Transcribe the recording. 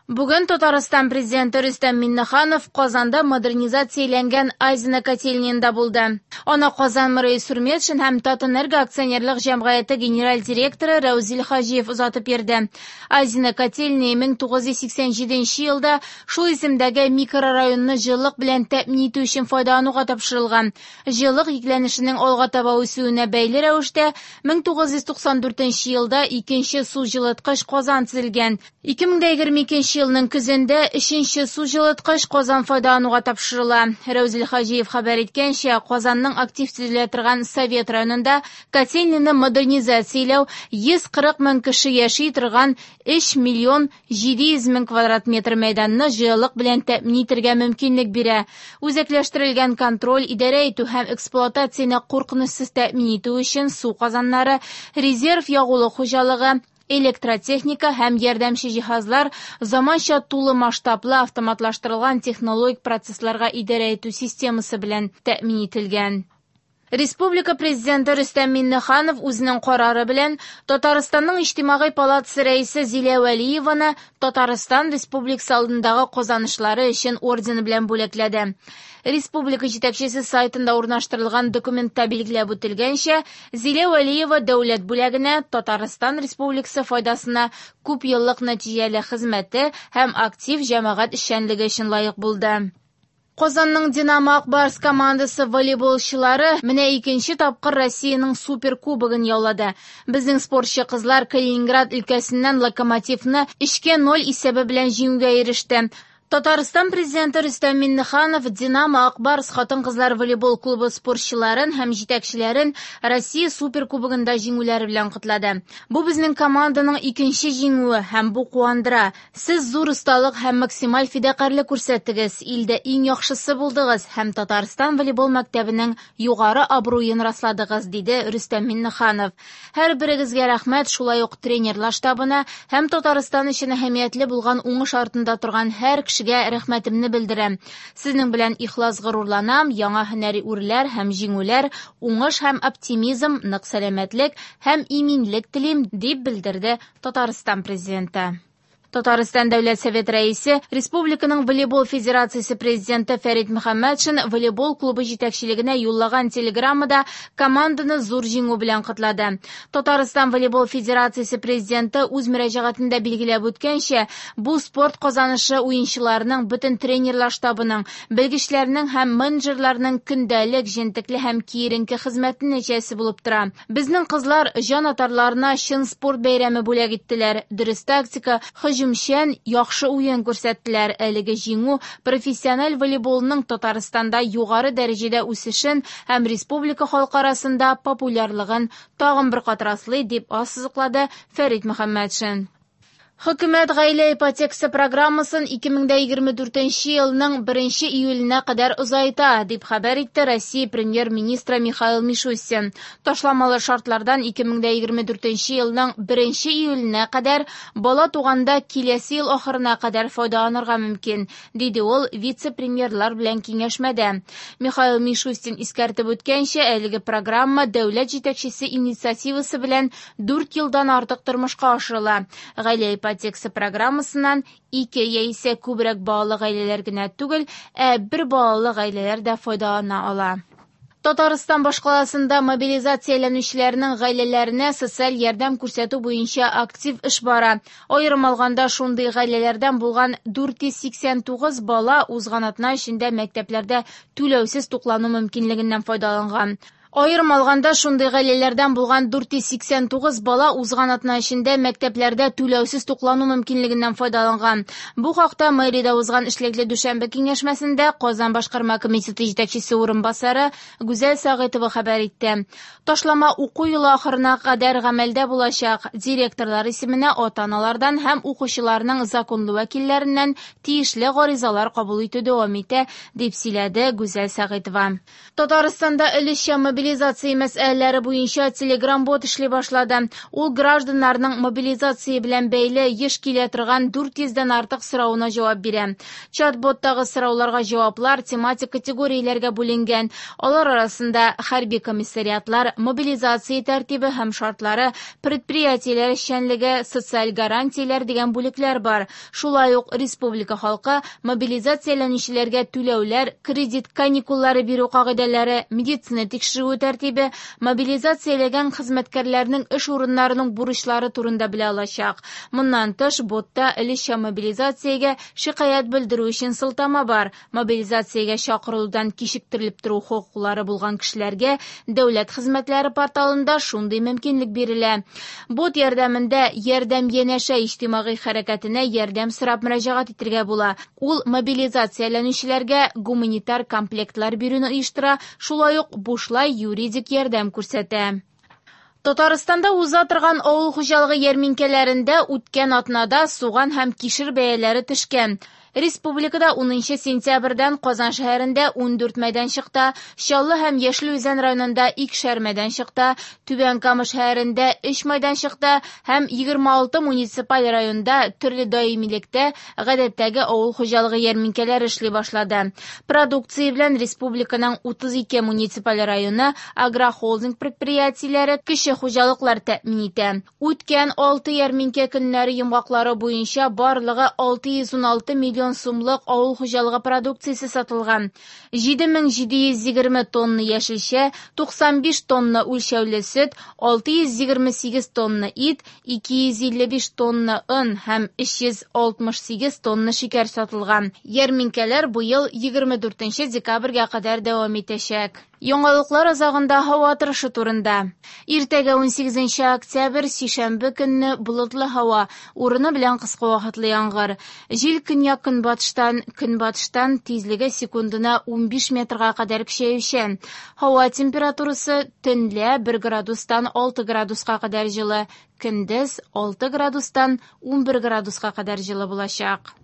Бүген Татарстан Президенты Рөстәм Миңнеханов Казанда модернизацияләнгән Азино котельныенда булды. Аны Казан мэры Илсур Метшин һәм Татэнерго акционерлык җәмгыяте генераль директоры Рәүзил Хаҗиев озатып йөрде. Азино котельные 1987 елда шул исемдәге микрорайонны җылылык белән тәэмин итү өчен файдалануга тапшырылган. Җылылык йөкләнешенең алга таба үсүенә бәйле рәвештә 1994 елда икенче су җылыткыч казан төзелгән. 2022 елның көзендә өченче су җылыткыч казан файдалануга тапшырыла. Рәүзил Хаҗиев хәбәр иткәнчә, Казанның актив төзелә торган Совет районында котельныйны модернизацияләү 140 мең кеше яши торган 3 миллион 700 мең квадрат метр мәйданны җылылык белән тәэмин итәргә мөмкинлек бирә. Үзәкләштерелгән контроль, идарә итү һәм эксплуатацияне куркынычсыз тәэмин итү өчен су казаннары, резерв ягулык хуҗалыгы, электротехника һәм ярдәмче җиһазлар заманча тулы масштаблы автоматлаштырылган технологик процессларга идарә итү системасы белән тәэмин ителгән. Республика Президенты Рөстәм Миңнеханов үзенең карары белән Татарстанның Иҗтимагый палатасы рәисе Зилә Вәлиеваны Татарстан Республикасы алдындагы казанышлары өчен ордены белән бүләкләде. Республика җитәкчесе сайтында урнаштырылган документта билгеләп үтелгәнчә, Зилә Вәлиева дәүләт бүләгенә Татарстан Республикасы файдасына күп еллык нәтиҗәле хезмәте һәм актив җәмәгать эшчәнлеге өчен лаек булды. Казанның Динамо Ак Барс командасы волейболчылары менә икенче тапкыр Россиянең суперкубогын яулады. Безнең спортчы кызлар Калининград өлкәсеннән Локомотивны 3-0 исәбе белән җиңүгә иреште. Татарстан Президенты Рөстәм Миңнеханов Динамо Ак Барс хатын-кызлар волейбол клубы спортчыларын һәм җитәкчеләрен Россия суперкубогында җиңүләре белән котлады. Бу безнең команданың икенче җиңүе һәм бу куандыра. Сез зур осталык һәм максималь фидакарьлек күрсәттегез, илдә иң яхшысы булдыгыз һәм Татарстан волейбол мәктәбенең югары абруен расладыгыз, диде Рөстәм Миңнеханов. Һәр берегезгә рәхмәт, шулай ук тренерлар штабына һәм Татарстан өчен әһәмиятле булган уңыш артында торган һәр кешегә рәхмәтемне белдерәм. Сезнең белән ихлас горурланам, яңа һөнәри үрләр һәм җиңүләр, уңыш һәм оптимизм, нык сәламәтлек һәм иминлек телим, дип белдерде Татарстан Президенты. Татарстан Дәүләт Совет рәисе, Республиканың волейбол федерациясе президенты Фәрит Мөхәммәтшин волейбол клубы җитәкчелегенә юллаган телеграммада команданы зур җиңү белән котлады. Татарстан волейбол федерациясе президенты үз мөрәҗәгатендә билгеләп үткәнчә, бу спорт казанышы уенчыларының, бөтен тренерлар штабының, белгечләрнең һәм менеджерларның көндәлек, җентекле һәм киеренке хезмәте нәтиҗәсе булып тора. Безнең кызлар җан атарларына чын спорт бәйрәме бүләк иттеләр. Дөрес тактика, һөҗүмчән, яхшы уен күрсәттеләр. Әлеге җиңү профессиональ волейболның Татарстанда югары дәрәҗәдә үсешен һәм республика халкы арасында популярлыгын тагын бер кат раслый, дип ассызыклады Фәрит Мөхәммәтшин. Хөкүмәт гаилә ипотекасы программасын 2024 елның 1 июленә кадәр озайта, дип хәбәр итте Россия премьер-министры Михаил Мишустин. Ташламалы шартлардан 2024 елның 1 июленә кадәр бала туганда киләсе ел ахырына кадәр файдаланырга мөмкин, диде ул вице-премьерлар белән киңәшмәдә. Михаил Мишустин искәртеп үткәнчә, әлеге программа дәүләт җитәкчесе инициативасы белән 4 елдан артык тормышка ашырыла. Гаилә ипотекасы программасыннан 2 яисә күбрәк балалы гаиләләр генә түгел, ә бер балалы гаиләләр дә файдалана ала. Татарстан башкаласында мобилизацияләнүчеләрнең гаиләләренә социаль ярдәм күрсәтү буенча актив эш бара. Аерым алганда, шундый гаиләләрдән булган 489 бала узган атна эчендә мәктәпләрдә түләүсез туклану мөмкинлегеннән файдаланган. Аерым алганда, шундый гаиләләрдән булган 489 бала узган атна эчендә мәктәпләрдә түләүсез туклану мөмкинлегеннән файдаланган. Бу хакта мэриядә узган эшлекле дүшәмбе киңәшмәсендә Казан башкарма комитеты җитәкчесе урынбасары Гүзәл Сәгыйтова хәбәр итте. Ташлама уку елы ахырына кадәр гамәлдә булачак. Директорлар исеменә ата-аналардан һәм укучыларның законлы вәкилләреннән тиешле гаризалар кабул итү дәвам итә, дип сөйләде Гүзәл Сәгыйтова. Татарстанда өлешчә мобилизация мәсьәләләре буенча Telegram-бот эшли башлады. Ул гражданнарның мобилизация белән бәйле еш килә торган 400 дән артык соравына җавап бирә. Чат-боттагы сорауларга җаваплар тематик категорияләргә бүленгән. Алар арасында хәрби комиссариатлар, мобилизация тәртибе һәм шартлары, предприятиеләр эшчәнлеге, социаль гарантияләр дигән бүлекләр бар. Шулай ук республика халкы мобилизацияләнүчеләргә түләүләр, кредит каникуллары бирү кагыйдәләре, медицина тикшерүе тәртибе, мобилизацияләгән хезмәткәрләрнең эш урыннарының бурычлары турында белә алачак. Моннан тыш, ботта өлешчә мобилизациягә шикаять белдерү өчен сылтама бар. Мобилизациягә чакырылудан кичектерелеп тору хокуклары булган кешеләргә дәүләт хезмәтләре порталында шундый мөмкинлек бирелә. Бот ярдәмендә «Ярдәм янәшә» иҗтимагый хәрәкәтенә ярдәм сорап мөрәҗәгать итәргә була. Ул мобилизацияләнүчеләргә гуманитар комплектлар бирүне оештыра, шулай ук бушлай юридик ярдәм күрсәтә. Татарстанда уза торган авыл хуҗалыгы ярминкәләрендә үткән атнада суган һәм кишер бәяләре төшкән. Республикада 10 сентябрьдән Казан шәһәрендә 14 мәйданчыкта, Чаллы һәм Яшел Үзән районында 2 мәйданчыкта, Түбән Кама шәһәрендә 3 мәйданчыкта һәм 26 муниципаль районда төрле даимилектә гадәттәге авыл хуҗалыгы ярминкәләре эшли башлады. Продукция белән республиканың 32 муниципаль районы агрохолдинг предприятиеләре, кече хуҗалыклар тәэмин итә. Үткән 6 ярминкә көннәре йомгаклары буенча барлыгы 616 миллион сумлык авыл хуҗалыгы продукциясе сатылган. 7720 тонна яшелчә, 95 тонна үлчәүле сөт, 628 тонна ит, 255 тонна он һәм 368 тонна шикәр сатылган. Ярминкәләр быел 24 декабрьгә кадәр дәвам итәчәк. Яңалыклар азагында һава торышы турында. Иртәгә 18 октябрь, сишәмбе көнне болытлы һава, урыны белән кыска вакытлы яңгыр. Җил көньяк-көнбатыштан, көнбатыштан тизлеге секундына 15 метрга кадәр көчәючән. Һава температурасы төнлә 1 градустан 6 градуска кадәр җылы, көндез 6 градустан 11 градуска кадәр җылы булачак.